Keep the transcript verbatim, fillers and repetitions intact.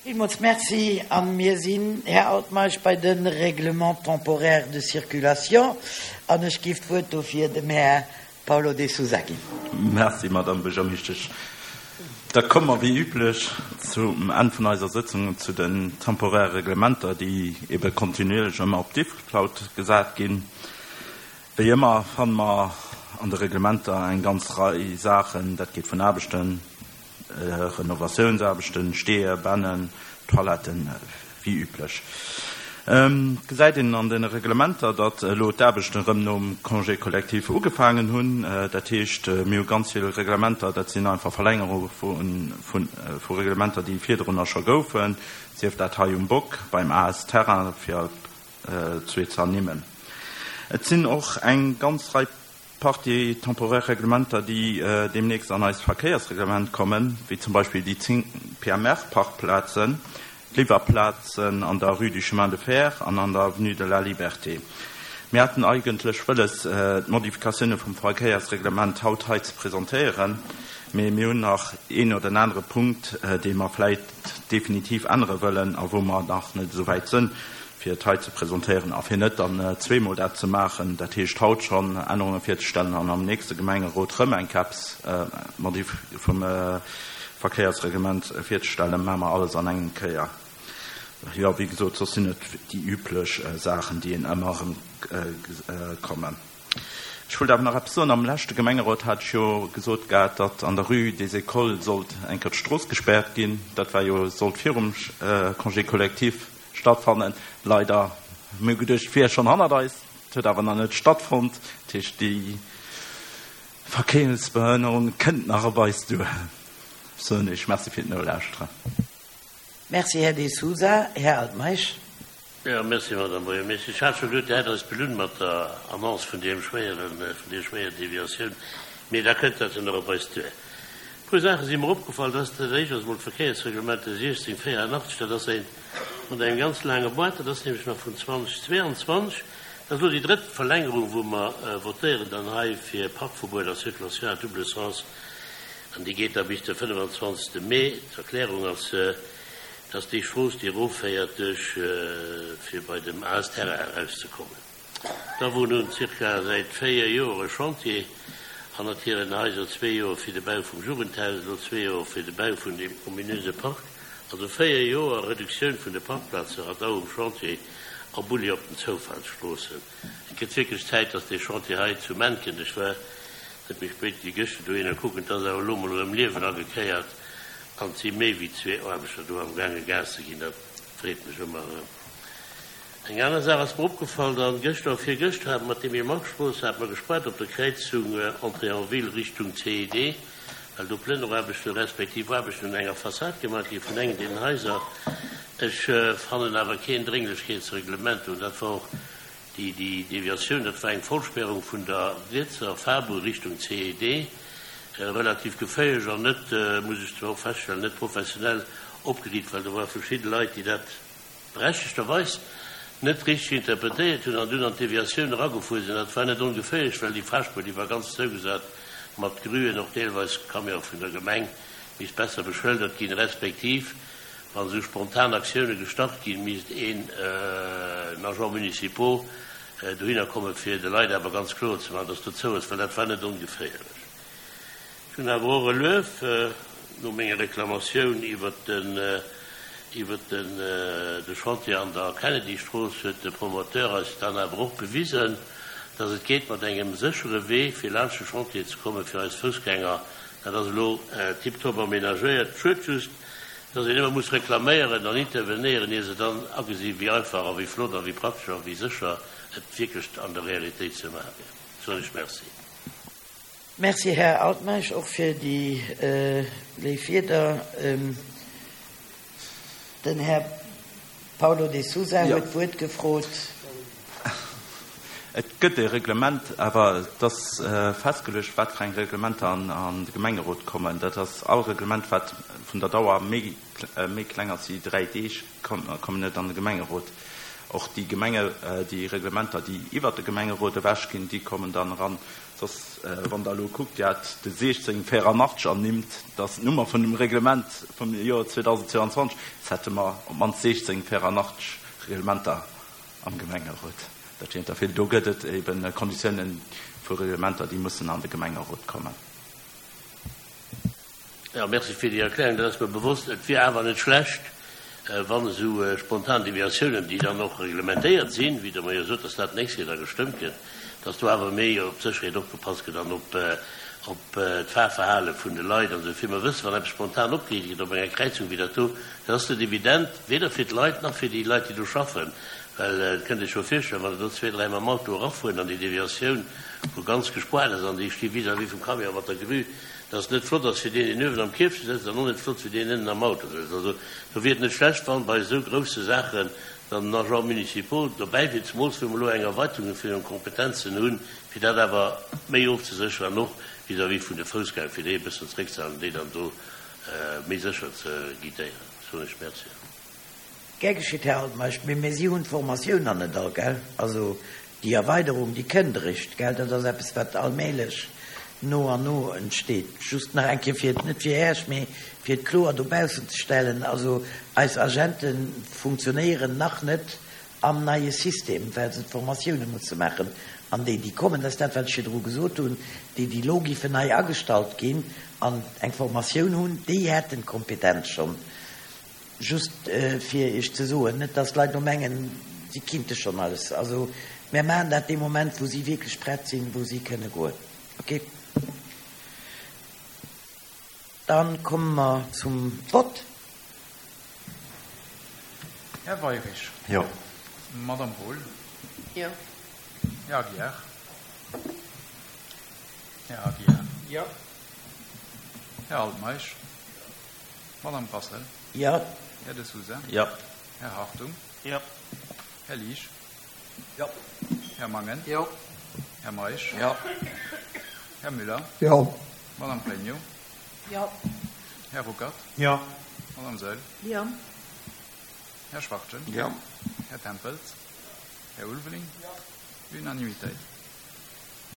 Villmools Merci. A mir sinn, Här Altmeisch, bei de Règlements temporaires de circulation. An ech géif d'Wuert dofir dem Här Paulo de Sousa ginn. Merci, Madame Buergermeeschtesch. Da komme mer wéi üblech zum Enn vun eiser Sëtzung zu den temporäre Reglementer, déi ebe kontinuierlech ëmmer op Diffcloud gesat ginn. Wéi ëmmer fanne mer an de Reglementer eng ganz Rei Saachen, dat geet vun Aarbechten, Renovatiounsaarbechten, Steeër, Bännen, Toiletten, wéi üblech. Et gesäit een an de Reglementer, datt elo d'Aarbechten erëm nom Congé collectif ugefaangen hunn. Dat heescht, mir hu ganz vill Reglementer, dat sinn einfach Verlängerunge vu Reglementer, déi virdrunner scho goufen, sief dat hei um Bock, beim A S Terrain, fir zwee ze ernimmen. Et sinn och eng ganz Rei Partie temporär Reglementer, déi deemnächst an eist Verkéiersreglement kommen, wéi zum Beispill déi zéng P M R-Parkplazen, d'Liwwerplazen an der Rue du Chemin de Fer an an der Avenue de la Liberté. Mir haten eigentlech wëlles, d'Modifikatioune vum Verkéiersreglement haut hei ze presentéieren, mee mir hunn nach een oder en anere Punkt, dee mer vläit definitiv ännere wëllen a wou mer nach net esou wäit sënn, fir et hei ze presentéieren a fir net dann zweemol dat ze maachen, dat heescht haut schonn Ännerunge virzestellen an am nächste Gemengerot rëm eng Kéiers Modif vum Verkéiersreglement virzestellen, maache mer alles an engem Kéier. Jo, wéi gesot, soss sinn et déi üblech Saachen, déi een ëmmer erëm kommen. Ech wollt awer nach eppes soen. Am leschte Gemengerot hat ech jo gesot gehat, datt an der Rue des Écoles sollt eng Kéier d'Strooss gespäert ginn. Dat war jo, sollt virum Congé collectif stattfannen. Leider, mir hu geduecht, et wier schonn hannert eis, et huet awer nach net stattfonnt. Dat heescht, déi Verkéiersbehënnerung kënnt nach op eis duer. Soen ech Merci fir d'Nolauschteren. Merci, Här De Sousa. Här Altmeisch. Jo, merci, Madame Buergermeeschtesch. Ech hat scho geduet, Dir hätt eis belunn mat der Annonce vun deem schwéieren, vun deer schwéier Deviatioun, mee da kënnt dat jo nach op eis duer. E puer Saache si mer opgefall. Dat ass dat éischt ass emol d'Verkéiersreglement siechzéng véierannachtzeg. Dat ass eent mat engem ganz laange Boîte, dat ass nämlech nach vun zweedausendzweianzwanzeg. Dat ass elo déi drëtt Verlängerung, wou mer votéieren dann hei fir Parkverbuet a Circulation à double sens, an déi geet da bis de fënnefenzwanzegste Mee. D'Erklärung ass, dass déi Strooss, déi erofféiert duerch, fir bei dem A S Terrain erauszekommen, da wou nun zirka säit véier Joer e Chantier hannert hiren Haiser, zwee Joer fir de Bau vum Jugendhaus, elo zwee Joer fir de Bau vun dem ominöse Park, also véier Joer Reduktioun vun de Parkplaze, Radau um Chantier a Bulli op den Zoufahrtsstroossen. Et gëtt wierklech Zäit, dass dee Chantier hei zu Mentgen, ech war net méi spéit wéi gëschter dohinner kucken, et ass awer elo mol erëm Liewen agekéiert an et si méi wéi zwee Aarbechter do am gaange Gas ze ginn, dat freet mech ëmmer erëm. Eng aner Saach ass mer opgefall, dann gëschter, virgëschter hat mat dem Markstrooss hat mer gespaart op der Kräizung Entrée en ville Richtung C I D, well do Plënneraarbechten respektiv Aarbechten un enger Fassad gemaach gi vun engem deenen Haiser. Ech fannen awer keen Drénglechkeetsreglement un. Dat war och déi déi Deviatioun, dat war eng Vollsperrung vun der rietser Fahrbur Richtung C I D, relativ geféierlech an net, muss ech zwar och feststellen, net professionell opgeriicht, well do ware verschidde Leit, déi dat berechtegterweis net richteg interpretéiert hunn an dunn an d'Deviatioun eragefuer sinn. Dat war net ongeféierlech, well déi Fahrspuer, déi war ganz zougesat mat Gruen, och deelweis Camion vun der Gemeng, misst besser beschëldert ginn, respektiv wann esou spontan Aktioune gestart ginn, misst een Agent municipal dohinner kommen, fir de Leit awer ganz kloer ze maachen, dass do zou ass, well dat war net ongeféierlech. Ech hunn awer och e Luef no menger Reklamatioun iwwert den iwwert den de Chantier an der Kennedy-Strooss huet de Promoteur eis dann awer och bewisen, dass et geet mat engem séchere Wee fir laanscht de Chantier ze kommen fir eis Foussgänger. Dat ass elo tiptop amenagéiert. Schued just, dass een ëmmer muss reklaméieren an intervenéieren, ier se dann agesi wéi einfach a wéi flott a wéi praktesch a wéi sécher et wierklech an der Realitéit ze maache wier. Soen ech Merci. Merci, Här Altmeisch, och fir déi léif Wierder. Den Här Paulo de Sousa huet d'Wuert gefrot. Et gëtt e Reglement, awer et ass festgeluecht, wat fir eng Reglementer an de Gemengerot kommen. Dat ass all Reglement, wat vun der Dauer méi méi kleng ass wéi dräi Deeg, kommen net an de Gemengerot. Och déi Gemenge déi Reglementer, déi iwwert de Gemengerot ewechginn, déi kommen dann eran. Soss, wann Der elo kuckt, Dir hat de siechzéng véierannachtzeg ernimmt, dat ass d'Nummer vun dem Reglement vum Joer zweedausendzweianzwanzeg, soss hätte mer op d'mannst siechzéng véierannachtzeg Reglementer am Gemengerot. Dat wier der vill. Do gëtt et eben Konditiounen vu Reglementer, déi mussen an de Gemengerot kommen. Jo, merci fir déi Erklärung. Dat ass mer bewosst. Et wier awer net schlecht, wann esou spontan Deviatiounen, déi dann och reglementéiert sinn, wéi Der mer jo sot, dass dat d'nächst Kéier da gestëmmt gëtt, dass do awer méi op d'Sécherheet opgepasst gëtt an op d'Fahrverhale vun de Leit an esou vill. Mer wëssen, wann eppes spontan opgeriicht gëtt op enger Kräizung wéi dat do, dat ass net evident, weder fir d'Leit nach fir déi Leit, déi do schaffen. Well et kënnt Iech jo virstellen, wann der do zwee, dräi mam Auto erafueren an déi Deviatioun, wou ganz gespaart ass, an déi sti vis-à-vis vum Camion mat der Grue, dass et net flott ass fir deen, deen uewen am Kierfche sëtzt, an och net flott fir deen ënnen am Auto sëtzt. Also do wier et net schlecht, wann bei esou grousse Saachen dann den Agent municipal dobäi wier, zemools wou mer elo eng Erweiterung vun hiren Kompetenzen hunn, fir dat awer méi ofzesécheren an och vis-à-vis vun de Foussgänger, fir déi e bëssen zeréckzehalen an déi dann do méi sécher ze guidéieren. Soen ech Merci. Gär geschitt, Här Altmeisch. Mee mir si hunn d'Formatioun nach net all, gell? Also déi Erweiderung, déi kënnt eréischt, gell? Dat ass eppes, wat allmählech no an no entsteet. Just nach eng Kéier, fir et net fir Äech, mee fir et kloer dobaussen ze stellen, also eis Agente funktionéieren nach net am neie System, well se d'Formatioune musse maachen. An déi, déi kommen, dat ass dat, wat ech virdru gesot hunn, déi, déi elo giffen nei agestallt ginn an eng Formatioun hunn, déi hätten d'Kompetenz schonn. Just fir Iech ze soen, net dass d'Leit elo mengen, si kinnte schonn alles. Also mär maachen dat dee Moment, wou si wierklech prett sinn, wou si kënne goen. Okay. Dann komme mer zum Vott. Här Weirich. Jo. Madame Wohl. Jo. Här Aguiar. Här Aguiar. Jo. Här Altmeisch. Madame Brassel. Jo. Här De Sousa. Jo. Här Hartung. Jo. Här Liesch. Jo. Här Mangen. Jo. Här Meisch. Jo. Här Müller. Jo. Madame Pregno. Jo. Här Ruckert. Jo. Madame Saeul. Jo. Här Schwachtgen. Jo. Här Tempels. Här Ulveling. Jo. Unanimitéit.